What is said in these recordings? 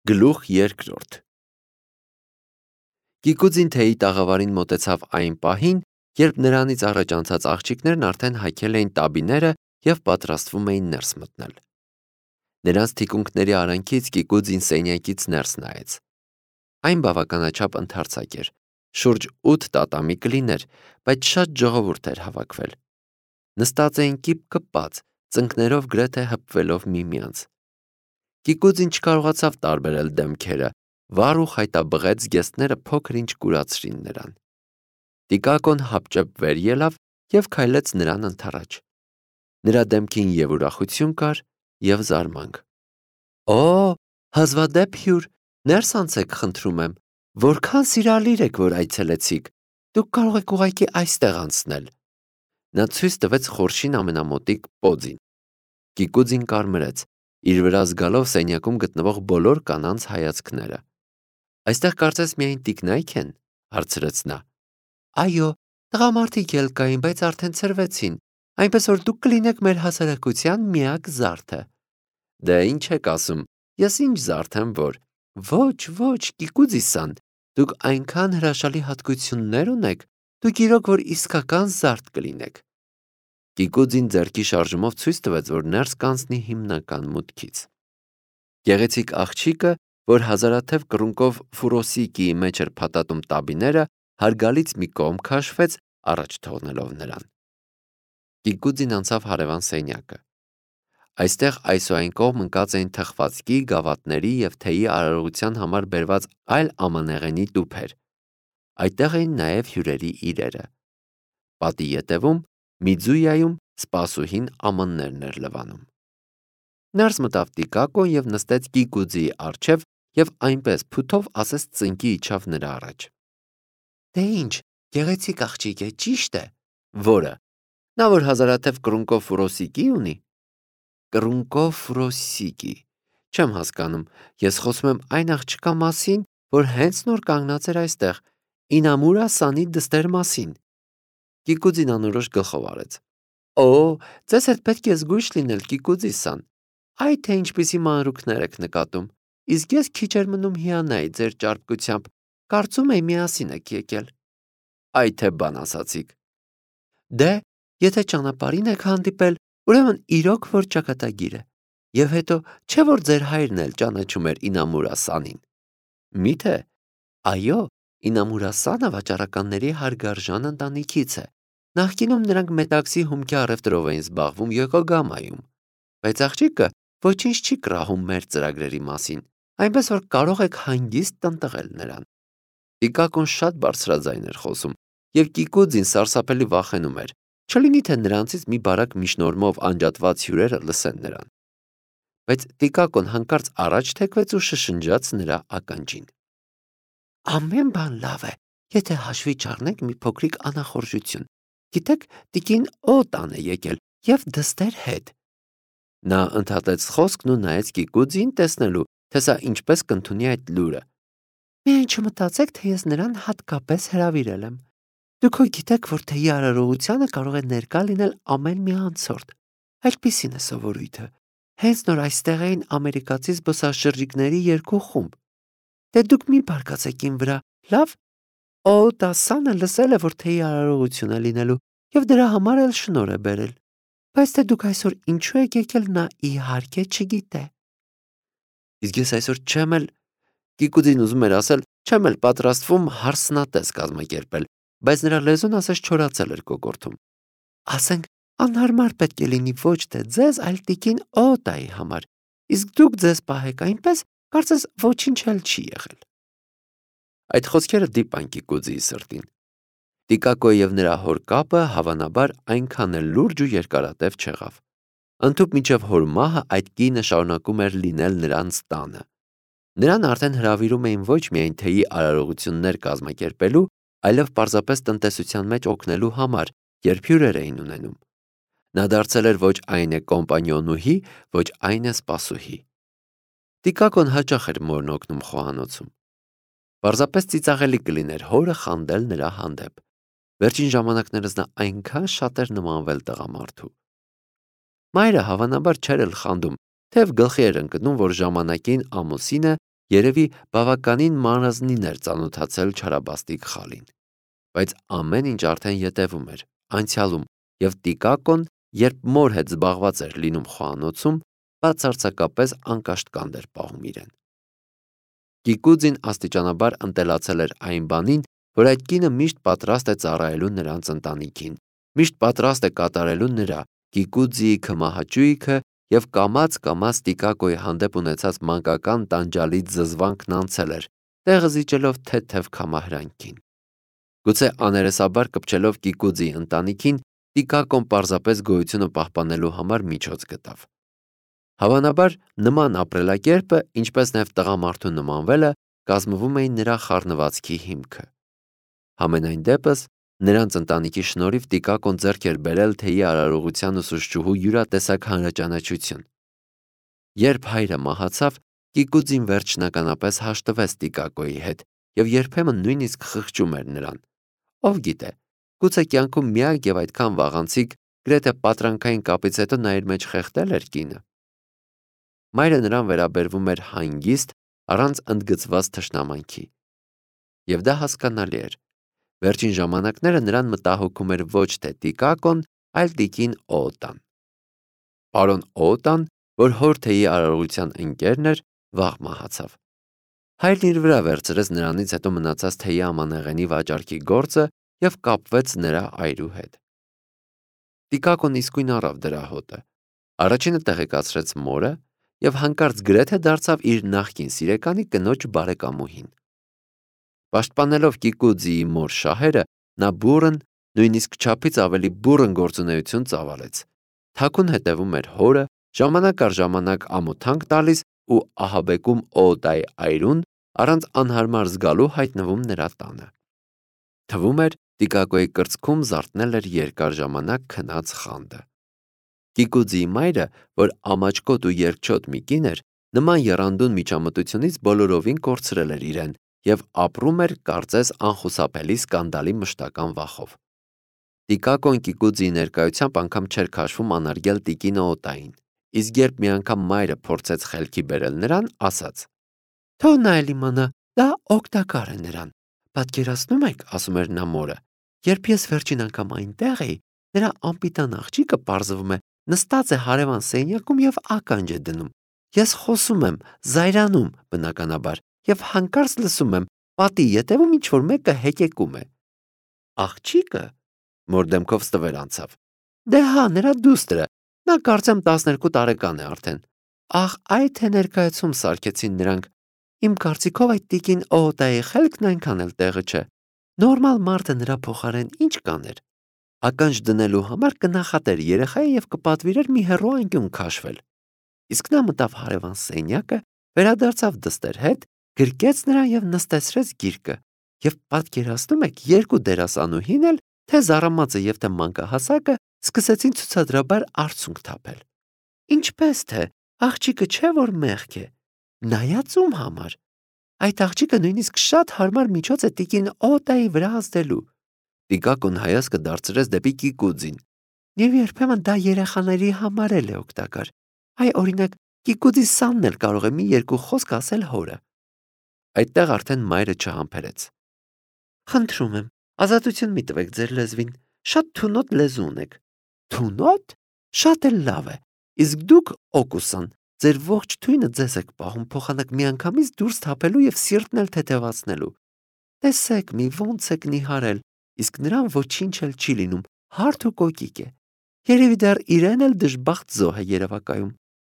Գլուխ երկրորդ Գիգուձին թեյի տաղավարին մոտեցավ այն պահին, երբ նրանից առաջ անցած աղջիկներն արդեն հայքել էին տաբիները և պատրաստվում էին ներս մտնել։ Նրանց թիկունքների արանքից Գիգուձին սենյակից ներս նայեց։ Այն բավականաչափ ընդարձակ էր, շուրջ 8 տատամի կլիներ, բայց շատ ժողովուրդ էր հավաքվել։ Նստած էին կիպ կպած, ծնկներով գրեթե հպվելով միմյանց։ Գիգուձին չկարողացավ տարբերել դեմքերը, վառ ու խայտաբղեց զգեստները փոքր-ինչ կուրացրին նրան։ Տիկակոն հապճեպ վեր ելավ և քայլեց նրան ընդառաջ։ Նրա դեմքին և ուրախություն կար, և զարմանք։ Օ, հազվադեպ հյուր, ներս անցեք, խնդրում եմ, որքան սիրալիր եք, որ այցելեցիք, դուք կարող եք ուղղակի այստեղ անցնել։ Նա ցույց տվեց խորշին ամենամոտիկ պոձին։ Գիգուձին կարմրեց, իր վրա զգալով սենյակում գտնվող բոլոր կանանց հայացքները։ Այստեղ կարծես միայն տիկնայք են, հարցրեց նա։ Այո, տղամարդիկ էլ կային, բայց արդեն ցրվեցին, այնպես որ դուք կլինեք մեր հասարակության միակ զարդը։ Դե ինչ եք ասում, ես ինչ զարդ եմ, որ։ Ոչ, Գիգուձի-սան, դուք այնքան հրաշալի հատկություններ ունեք, դուք իրոք որ իսկական զարդ կլինեք։ Գիգուձին ձեռքի շարժումով ցույց տվեց, որ ներս կանցնի հիմնական մուտքից։ Գեղեցիկ աղջիկը, որ հազարաթև կռունկով ֆուրոսիկիի մեջ էր փաթաթում տաբիները, հարգալից մի կողմ քաշվեց, առաջ թողնելով նրան։ Գիգուձին անցավ հարևան սենյակը։ Այստեղ այս ու այն կողմ ընկած էին թխվածքի, գավաթների և թեյի արարողության համար բերված այլ ամանեղենի տուփեր։ Այդտեղ էին նաև հյուրերի իրերը։ Պատի ետևում, Միձույայում սպասուհին ամաններն էր լվանում։ Ներս մտավ Տիկակոն և նստեց Գիգուձիի առջև և այնպես փութով ասես ծնկի իջավ նրա առաջ։ Դե ինչ, գեղեցիկ աղջիկ է, ճիշտ է։ Որը։ Նա որ հազարաթև կռունկով ֆուրոսիկի ունի։ Կռունկով ֆուրոսիկի։ Չեմ հասկանում, ես խոսում եմ այն աղջկա մասին, որ հենց նոր կանգնած էր այստեղ, Ինամուրա Սանի դստեր մասին։ Գիգուձին անորոշ գլխով արեց։ Օ, ձեզ հետ պետք է զգույշ լինել, Գիգուձի-սան։ Այ թե ինչպիսի մանրուքներ եք նկատում։ Իսկ ես քիչ էր մնում հիանայի ձեր ճարպկությամբ, կարծում էի միասին եք եկել։ Այ թե բան ասացիք։ Դե, եթե ճանապարհին եք հանդիպել, ուրեմն իրոք որ ճակատագիր է։ Եվ հետո, չէ որ ձեր հայրն էլ ճանաչում էր Ինամուրա Սանին։ Միթե։ Այո, Ինամուրա Սանը վաճառականների հարգարժան ընտանիքից է։ Նախկինում նրանք մետաքսի հումքի առևտրով էին զբաղվում Յոկոգամայում։ Բայց աղջիկը ոչինչ չի կռահում մեր ծրագրերի մասին, այնպես որ կարող եք հանգիստ տնտղել նրան։ Տիկակոն շատ բարձրաձայն էր խոսում, և Գիգուձին սարսափելի վախենում էր, չլինի թե նրանցից մի բարակ միջնորմով անջատված հյուրերը լսեն նրան։ Բայց Տիկակոն հանկարծ առաջ թեքվեց ու շշնջաց նրա ականջին։ Ամեն բան լավ է, եթե հաշվի չառնենք մի փոքրիկ անախորժություն։ Գիտեք, տիկին Օտան է եկել և դստեր հետ։ Նա ընդհատեց խոսքն ու նայեց Գիգուձիին տեսնելու, թե սա ինչպես կընդունի այդ լուրը։ Միայն չմտածեք, թե ես նրան հատկապես հրավիրել եմ։ Դուք հո գիտեք, որ թեյի արարողությանը կարող է ներկա լինել ամեն մի անցորդ։ Այդպիսին է սովորույթը։ Հենց նոր այստեղ էին ամերիկացի զբոսաշրջիկների 2 խումբ։ Դե դուք մի բարկացեք իմ վրա, լավ։ Օտասանը լսել է, որ թեյի արարողություն է լինելու և դրա համար էլ շնորհ է բերել։ Բայց թե դուք այսօր ինչու եք եկել, նա իհարկե չգիտե։ Իսկ ես այսօր չեմ էլ, Գիգուձին ուզում էր ասել, չեմ էլ պատրաստվում հարսնատես կազմակերպել, բայց նրա լեզուն ասես չորացել էր կոկորդում։ Ասենք, անհարմար պետք է լինի ոչ թե ձեզ, այլ տիկին Օտայի համար, իսկ դուք ձեզ պահեք այնպես, կարծես ոչինչ էլ չի եղել։ Այդ խոսքերը դիպան Գիգուձիի սրտին։ Տիկակոյի և նրա հոր կապը հավանաբար այնքան էլ լուրջ ու երկարատև չեղավ։ Ընդհուպ մինչև հոր մահը այդ կինը շարունակում էր լինել նրանց տանը։ Նրան արդեն հրավիրում էին ոչ միայն թեյի արարողություններ կազմակերպելու, այլև պարզապես տնտեսության մեջ օգնելու համար, երբ հյուրեր էին ունենում։ Նա դարձել էր ոչ այն է կոմպանիոնուհի, ոչ այն է սպասուհի։ Տիկակոն հաճախ էր մորն օգնում խոհանոցում։ Պարզապես ծիծաղելի կլիներ հորը խանդել նրա հանդեպ։ Վերջին ժամանակներս նա այնքան շատ էր նմանվել տղամարդու։ Մայրը հավանաբար չէր էլ խանդում, թեև գլխի էր ընկնում, որ ժամանակին ամուսինը երևի բավականին մանրազնին էր ծանոթացել չարաբաստիկ խալին, բայց ամեն ինչ արդեն ետևում էր, անցյալում, և Տիկակոն, երբ մոր հետ զբաղված էր լինում խոհանոցում, բացարձակապես անկաշտկանդ էր պահում իրեն։ Կիկուձին աստիճանաբար ընտելացել էր այն բանին, որ այդ կինը միշտ պատրաստ է ծառայելու նրանց ընտանիքին, միշտ պատրաստ է կատարելու նրա Կիկուձիի քմահաճույքը և կամաց-կամաց Տիկակոյի հանդեպ ունեցած մանկական տանջալից զզվանքն անցել էր, տեղը զիջելով թեթև քամահրանքին։ Գուցե աներեսաբար կպչելով Կիկուձիի ընտանիքին, Տիկակոն պարզապես գոյությունը պահպանելու համար միջոց գտավ։ Հավանաբար նման ապրելակերպը, ինչպես նաև տղամարդու նմանվելը, կազմվում էին նրա խառնվածքի հիմքը։ Համենայն դեպս, նրանց ընտանիքի շնորհիվ Տիկակոն ձեռք էր բերել թեյի արարողության ուսուցչուհու յուրատեսակ հանրաճանաչություն։ Երբ հայրը մահացավ, Կիկուձին վերջնականապես հաշտվեց Տիկակոյի հետ և երբեմն նույնիսկ խղճում էր նրան։ Ով գիտե, գուցե կյանքում միակ և այդքան վաղանցիկ, գրեթե պատրանքային կապից հետո նա իր մեջ խեղդել էր կինը։ Մայրը նրան վերաբերվում էր հանգիստ, առանց ընդգծված թշնամանքի։ Եվ դա հասկանալի էր։ Վերջին ժամանակները նրան մտահոգում էր ոչ թե Տիկակոն, այլ տիկին Օոտան։ Պարոն Օոտան, որ հոր թեյի արարողության ընկերն էր, վաղ մահացավ։ Հայրն իր վրա վերցրեց նրանից հետո մնացած թեյի ամանեղենի վաճառքի գործը և կապվեց նրա այրու հետ։ Տիկակոն իսկույն առավ դրա հոտը։ Առաջինը տեղեկացրեց մորը և հանկարծ գրեթե դարձավ իր նախկին սիրեկանի կնոջ բարեկամուհին։ Պաշտպանելով Կիկուձիի մոր շահերը, նա բուռն, նույնիսկ չափից ավելի բուռն գործունեություն ծավալեց։ Թաքուն հետևում էր հորը, ժամանակ առ ժամանակ ամոթանք տալիս ու ահաբեկում Օոտայի այրուն, առանց անհարմար զգալու հայտնվում նրա տանը։ Թվում էր, Տիկակոյի կրծքում զարթնել էր երկար ժամանակ քնած խանդը։ Կիկուձիի մայրը, որ ամաչկոտ ու երկչոտ մի կին էր, նման եռանդուն միջամտությունից բոլորովին կորցրել էր իրեն և ապրում էր կարծես անխուսափելի սկանդալի մշտական վախով։ Տիկակոն Կիկուձիի ներկայությամբ անգամ չէր քաշվում անարգել տիկին Օոտային, իսկ երբ մի անգամ մայրը փորձեց խելքի բերել նրան, ասաց. «Թող նա էլ իմանա, դա օգտակար է նրան։ Պատկերացնում եք, ասում էր նա մորը, երբ ես վերջին անգամ այնտեղ էի, նրա անպիտան աղջիկը, պարզվում է, նստած է հարևան սենյակում և ականջ է դնում։ Ես խոսում եմ, զայրանում, բնականաբար, և հանկարծ լսում եմ, պատի ետևում ինչ-որ մեկը հեկեկում է»։ Աղջիկը մոր դեմքով ստվեր անցավ։ Դե հա, նրա դուստրը, նա կարծեմ 12 տարեկան է արդեն։ Ահ, այ թե ներկայացում սարքեցին նրանք։ Իմ կարծիքով այդ տիկին Օոտայի խելքն այնքան էլ տեղը չէ։ Նորմալ մարդը նրա փոխարեն ինչ կաներ։ Ականջ դնելու համար կնախատեր երեխայի և կպատվիրեր մի հեռու անկյուն քաշվել։ Իսկ նա մտավ հարևան սենյակը, վերադարձավ դստեր հետ, գրկեց նրան և նստեցրեց գիրկը։ Եվ պատկերացնում եք, երկու դերասանուհին էլ, թե զառամածը և թե մանկահասակը, սկսեցին ցուցադրաբար արցունք թափել։ Ինչպես թե, աղջիկը չէ որ մեղք է։ Նայած ում համար։ Այդ աղջիկը նույնիսկ շատ հարմար միջոց է տիկին Օոտայի վրա ազդելու։ Տիկակոն հայացքը դարձրեց դեպի Կիկուձին։ Եվ երբեմն դա երեխաների համար էլ է օգտակար։ Այ օրինակ, Կիկուձի Սանն էլ կարող է մի երկու խոսք ասել հորը։ Այդտեղ արդեն մայրը չհամբերեց։ Խնդրում եմ, ազատություն մի տվեք ձեր լեզվին, շատ թունոտ լեզու ունեք։ Թունոտ։ Շատ էլ լավ է։ Իսկ դուք, Օկուսան, ձեր ողջ թույնը ձեզ եք պահում, փոխանակ միանգամից դուրս թափելու և սիրտն էլ թեթևացնելու։ Տեսեք մի ոնց եք նիհարել, իսկ նրան ոչինչ էլ չի լինում, հարթ ու կոկիկ է։ Երևի դեռ իրեն էլ դժբախտ զոհ է երևակայում։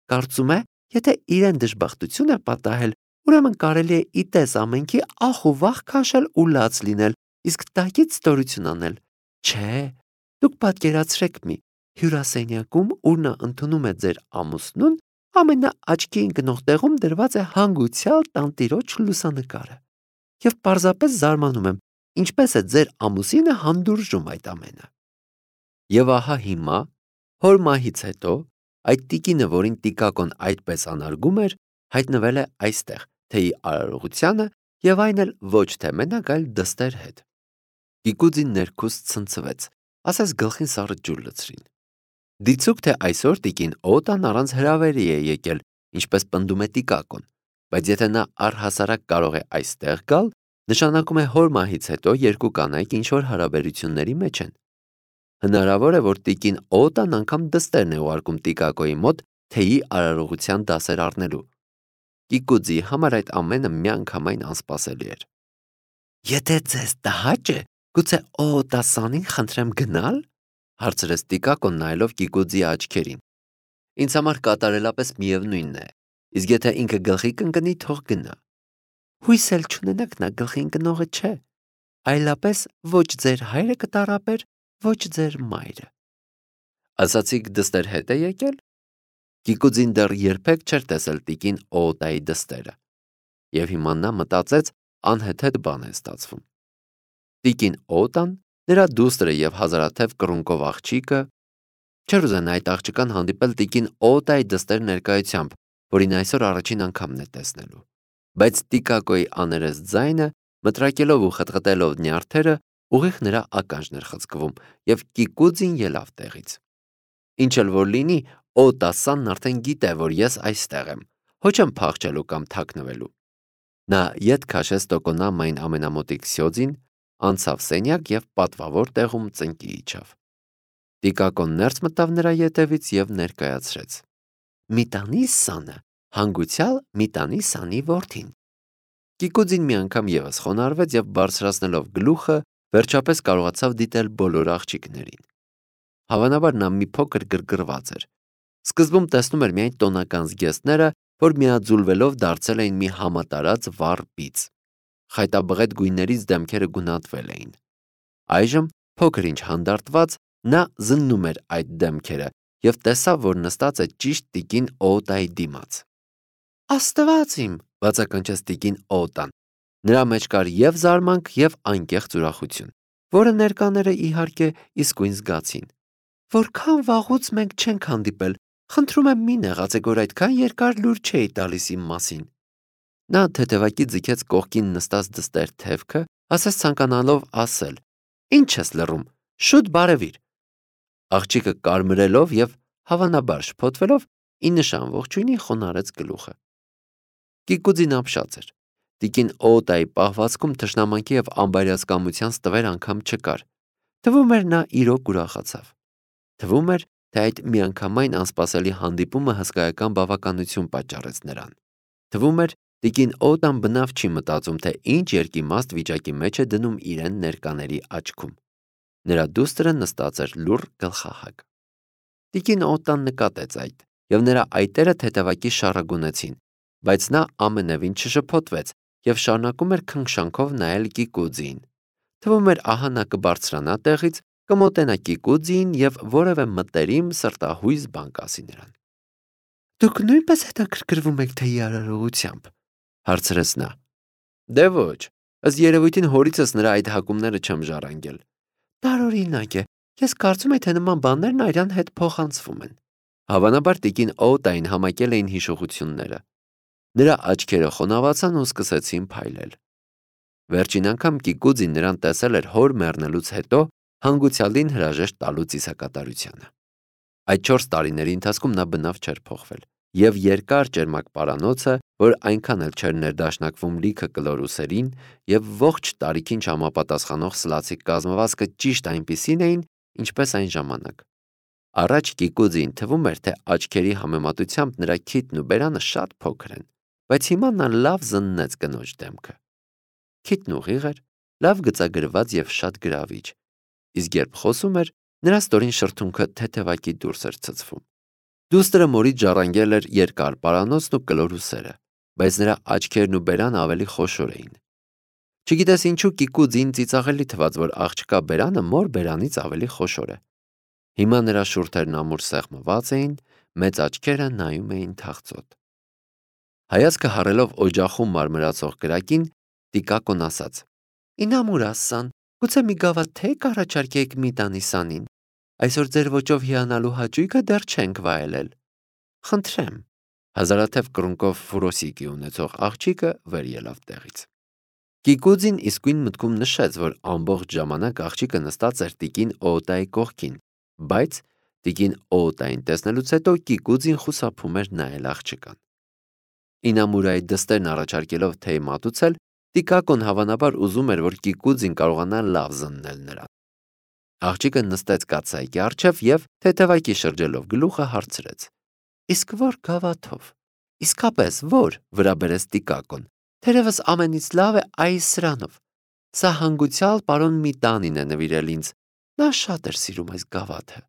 Կարծում է, եթե իրեն դժբախտություն է պատահել, ուրեմն կարելի է իտես ամենքի ախ ու վախ քաշել ու լաց լինել, իսկ տակից ստորություն անել։ Չէ, դուք պատկերացրեք մի հյուրասենյակում, ուր նա ընդունում է ձեր ամուսնուն, ամենաաչքի ընկնող տեղում դրված է հանգուցյալ տանտիրոջ լուսանկարը։ Եվ պարզապես զարմանում եմ, ինչպես է ձեր ամուսինը հանդուրժում այդ ամենը։ Եվ ահա հիմա, հոր մահից հետո, այդ տիկինը, որին Տիկակոն այդպես անարգում էր, հայտնվել է այստեղ, թեյի արարողությանը և այն էլ ոչ թե մենակ, այլ դստեր հետ։ Կիկուձին ներքուստ ցնցվեց, ասես գլխին սառը ջուր լցրին։ Դիցուք թե այսօր տիկին Օոտան առանց հրավերի է եկել, ինչպես պնդում է Տիկակոն։ բայց եթե նա առհասարակ կարող է այստեղ գալ, նշանակում է հոր մահից հետո երկու կանայք ինչ-որ հարաբերությունների մեջ են։ Հնարավոր է, որ տիկին Օտան անգամ դստերն է ուղարկում Տիկակոյի մոտ թեյի արարողության դասեր առնելու։ Կիկուձի համար այդ ամենը միանգամայն անսպասելի էր։ «Եթե ձեզ տհաճ է, գուցե Օտասանին խնդրեմ գնալ», հարցրեց Տիկակոն նայելով Կիկուձի աչքերին։ «Ինձ համար կատարելապես միևնույնն է, իսկ եթե ինքը գլխի կընկնի, թող գնա»։ «Հույս էլ չունենաք, նա գլխի ընկնողը չէ, այլապես ոչ ձեր հայրը կտառապեր, ոչ ձեր մայրը»։ Ասացիք դստեր հետ է եկել։ Կիկուձին դեռ երբեք չէր տեսել տիկին Օտայի դստերը, եւ հիմա նա մտածեց անհեթեթ բան է ստացվում։ Տիկին Օտան, նրա դուստրը եւ հազարաթև կռունկով աղջիկը, չէր ուզենա այդ աղջկան հանդիպել տիկին Օտայի դստեր ներկայությամբ, որին այսօր առաջին անգամն է տեսնելու։ Բայց Տիկակոյի աներես ձայնը, մտրակելով ու խտխտելով նյարդերը, ուղիղ նրա ականջն էր խցկվում, եւ Կիկուձին ելավ տեղից։ Ինչ էլ որ լինի, Օտասանն արդեն գիտե, որ ես այստեղ եմ, ոչ եմ փախչելու կամ թաքնվելու։ Նա ետ քաշեց տոկոնամային ամենամոտիկ սյոձին, անցավ սենյակ եւ պատվավոր տեղում ծնկի իջավ։ Տիկակոն ներս մտավ նրա ետևից եւ ներկայացրեց. «Մի տանի սանը, հանգուցյալ մի տանի սանի որդին»։ Կիկուձին մի անգամ եւս խոնարհվեց եւ բարձրացնելով գլուխը, վերջապես կարողացավ դիտել բոլոր աղջիկներին։ Հավանաբար նա մի փոքր գրգռված էր։ Սկզբում տեսնում էր միայն տոնական զգեստները, որ միաձուլվելով դարձել էին մի համատարած վառ բիծ։ Խայտաբղետ գույներից դեմքերը գունատվել էին։ Այժմ, փոքր ինչ հանդարտված, նա զննում էր այդ դեմքերը եւ տեսավ, որ նստած է ճիշտ տիկին Օտայի դիմաց։ «Աստված իմ», բացականչեց տիկին Օտան։ Նրա մեջ կար եւ զարմանք, եւ անկեղծ ուրախություն, որը ներկաները իհարկե իսկույն զգացին։ «Որքան վաղուց մենք չենք հանդիպել, խնդրում եմ մի նեղացեք, որ այդքան երկար լուր չէի տալիս իմ մասին»։ Նա թեթևակի ձգեց կողքին նստած դստեր թևքը, ասես ցանկանալով ասել. «Ինչ ես լռում, շուտ բարևիր»։ Աղջիկը կարմրելով եւ հավանաբար շփոթվելով ի նշան ողջույնի խոնարհեց գլուխը։ Կիկուձին ապշած էր։ Տիկին Օտայի պահվածքում թշնամանքի եւ անբարյացկամության ստվեր անգամ չկար։ Թվում էր նա իրոք ուրախացավ։ Թվում էր, թե այդ միանգամայն անսպասելի հանդիպումը հսկայական բավականություն պատճառեց նրան։ Թվում էր, տիկին Օտան բնավ չի մտածում, թե ինչ երկիմաստ վիճակի մեջ է դնում իրեն ներկաների աչքում։ Նրա դուստրը նստած էր լուռ գլխահակ։ Տիկին Օտան նկատեց այդ, եւ նրա այտերը թեթևակի շառագունեցին, բայց նա ամենևին չշփոթվեց եւ շարունակում էր քնքշանքով նայել Կիկուձիին։ Թվում էր ահա նա կբարձրանա տեղից, կմոտենա Կիկուձիին եւ որևէ մտերիմ սրտահույս բան կասի նրան։ «Դուք նույնպես հետաքրքրվում եք թեյի արարողությամբ», հարցրեց նա։ «Դե ոչ, ըստ երևույթին հորիցս նրա այդ հակումները չեմ ժառանգել»։ «Տարօրինակ է, ես կարծում եի, թե նման բաներն այրան հետ փոխանցվում են»։ Հավանաբար տիկին Օտային համակել էին հիշողությունները։ Նրա աչքերը խոնավացան ու սկսեցին փայլել։ Վերջին անգամ Կիկուձին նրան տեսել էր հոր մեռնելուց հետո հանգուցյալին հրաժեշտ տալու ծիսակատարությանը։ Այդ 4 տարիների ընթացքում նա բնավ չէր փոխվել, եւ երկար ճերմակ պարանոցը, որ այնքան էլ չէր ներդաշնակվում լիքը կլոր ուսերին, եւ ողջ տարիքին չհամապատասխանող սլացիկ կազմվածքը ճիշտ այնպիսին էին, ինչպես այն ժամանակ։ Առաջ Կիկուձին թվում էր, թե աչքերի համեմատությամբ նրա քիթն ու բերանը շատ փոքր են, բայց հիմա նա լավ զննեց կնոջ դեմքը։ Քիթն ուղիղ էր, լավ գծագրված եւ շատ գրավիչ, իսկ երբ խոսում էր, նրա ստորին շրթունքը թեթևակի դուրս էր ցցվում։ Դուստրը մորից ժառանգել էր երկար պարանոցն ու կլոր ուսերը, բայց նրա աչքերն ու բերանը ավելի խոշոր էին։ Չգիտես ինչու Կիկուձին ծիծաղելի թվաց, որ աղջկա բերանը մոր բերանից ավելի խոշոր է։ Հիմա նրա շուրթերն ամուր սեղմված էին, մեծ աչքերը նայում էին թախծոտ։ Հայացքը հառելով օջախում մարմրացող կրակին, Տիկակոն ասաց. «Ինամուրասան, գուցե մի գավաթ թե կառաջարկեք մի տանի սանին։ Այսօր ձեր ոճով հիանալու հաճույքը դեռ չենք վայելել»։ «Խնդրեմ»։ Հազարաթև կռունկով ֆուրոսիկի ունեցող աղջիկը վեր ելավ տեղից։ Կիկուձին իսկույն մտքում նշեց, որ ամբողջ ժամանակ աղջիկը նստած էր տիկին Օտայի կողքին, բայց տիկին Օտային տեսնելուց հետո Կիկուձին խուսափում էր նայել աղջկան։ Ինամուրայի դստերն առաջարկելով թեյ մատուցել, Տիկակոն հավանաբար ուզում էր, որ Կիկուձին կարողանա լավ զննել նրան։ Աղջիկը նստեց կաթսայքի առջև և թեթևակի շրջելով գլուխը հարցրեց. «Իսկ որ գավաթով»։ «Իսկապես, որ», վրա բերեց Տիկակոն, «թերևս ամենից լավ է այս սրանով։ Սա հանգուցյալ պարոն Միտանին է նվիրել ինձ, նա շատ էր սիրում այս գավաթը»։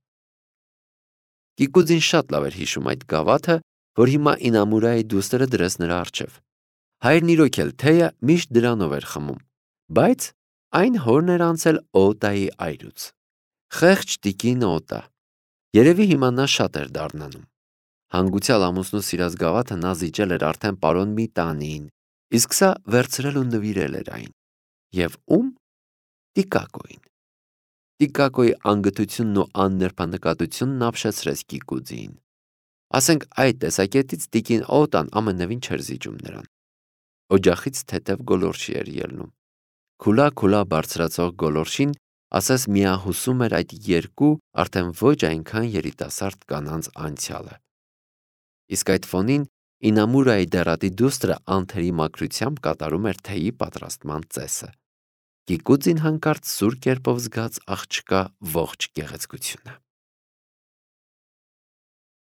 Կիկուձին շատ լավ էր հիշում այդ գավաթը, որ հիմա Ինամուրայի դուստրը դրեց նրա առջև։ Հայրն իրոք էլ թեյը միշտ դրանով էր խմում, բայց այն հորն էր անցել Օտայի այրուց։ Խեղճ տիկին Օտա։ Երևի հիմա նա շատ էր դառնանում։ Հանգուցյալ ամուսնու սիրած գավաթը նա զիջել էր արդեն պարոն Միտանիին, իսկ սա վերցրել ու նվիրել էր այն։ Եվ ում։ Տիկակոյին։ Տիկակոյի անգթությունն ու աննրբանկատությունն ապշեցրեց Կիկուձիին։ Ասենք այդ տեսակետից տիկին Օտան ամենևին չէր զիջում նրան։ Օջախից թեթև գոլորշի էր ելնում։ Քուլա բարձրացող գոլորշին ասես միահուսում էր այդ երկու արդեն ոչ այնքան երիտասարդ կանանց անցյալը։ Իսկ այդ ֆոնին Ինամուրայի դեռատի դուստրը անթերի մաքրությամբ կատարում էր թեյի պատրաստման ծեսը։ Կիկուձին հանկարծ սուր կերպով զգաց աղջկա ողջ գեղեցկությունը։